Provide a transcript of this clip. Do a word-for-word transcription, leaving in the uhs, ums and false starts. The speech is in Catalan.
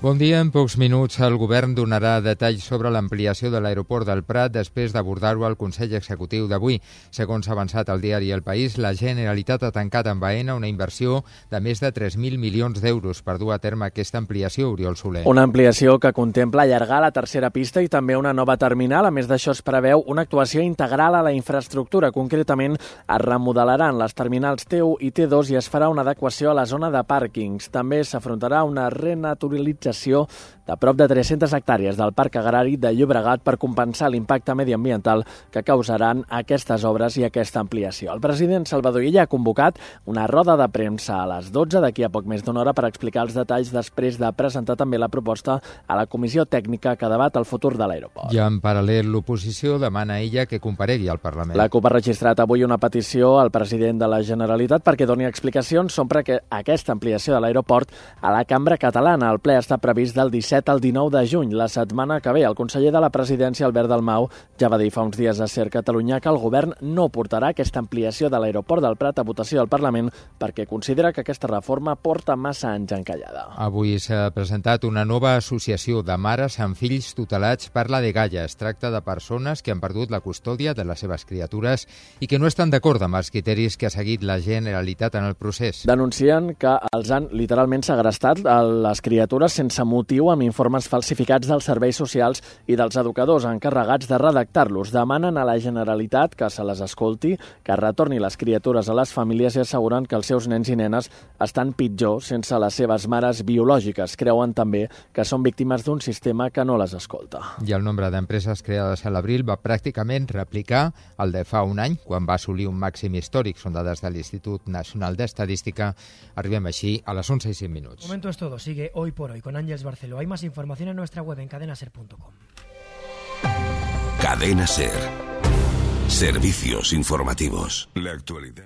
Bon dia. En pocs minuts el govern donarà detalls sobre l'ampliació de l'aeroport del Prat després d'abordar-ho al Consell Executiu d'avui. Segons ha avançat el diari El País, la Generalitat ha tancat amb Aena una inversió de més de tres mil milions d'euros per dur a terme aquesta ampliació, Oriol Soler. Una ampliació que contempla allargar la tercera pista i també una nova terminal. A més d'això, es preveu una actuació integral a la infraestructura. Concretament, es remodelaran les terminals T u i T dos i es farà una adequació a la zona de pàrquings. També s'afrontarà una renaturalització de prop de tres-centes hectàrees del Parc Agrari de Llobregat per compensar l'impacte mediambiental que causaran aquestes obres i aquesta ampliació. El president Salvador Illa ha convocat una roda de premsa a les dotze d'aquí a poc més d'una hora per explicar els detalls després de presentar també la proposta a la comissió tècnica que debat el futur de l'aeroport. I en paral·lel, l'oposició demana a Illa que comparegui al Parlament. La CUP ha registrat avui una petició al president de la Generalitat perquè doni explicacions sobre que aquesta ampliació de l'aeroport a la cambra catalana. El ple està previst del disset al dinou de juny, la setmana que ve. El conseller de la presidència, Albert Dalmau, ja va dir fa uns dies a Ser Catalunya que el govern no portarà aquesta ampliació de l'aeroport del Prat a votació del Parlament perquè considera que aquesta reforma porta massa anys encallada. Avui s'ha presentat una nova associació de mares amb fills tutelats per la dgaia. Es tracta de persones que han perdut la custòdia de les seves criatures i que no estan d'acord amb els criteris que ha seguit la Generalitat en el procés. Denuncien que els han literalment segrestat les criatures sense motiu amb informes falsificats dels serveis socials i dels educadors encarregats de redactar-los. Demanen a la Generalitat que se les escolti, que retorni les criatures a les famílies i asseguren que els seus nens i nenes estan pitjor sense les seves mares biològiques. Creuen també que són víctimes d'un sistema que no les escolta. I el nombre d'empreses creades a l'abril va pràcticament replicar el de fa un any, quan va assolir un màxim històric. Són dades de l'Institut Nacional d'Estadística. Arribem així a les onze i cinc minuts. Momento es todo. Sigue Hoy por Hoy con Ángeles Barceló. Hay más información en nuestra web en cadena ser punto com. Cadena Ser. Servicios informativos. La actualidad.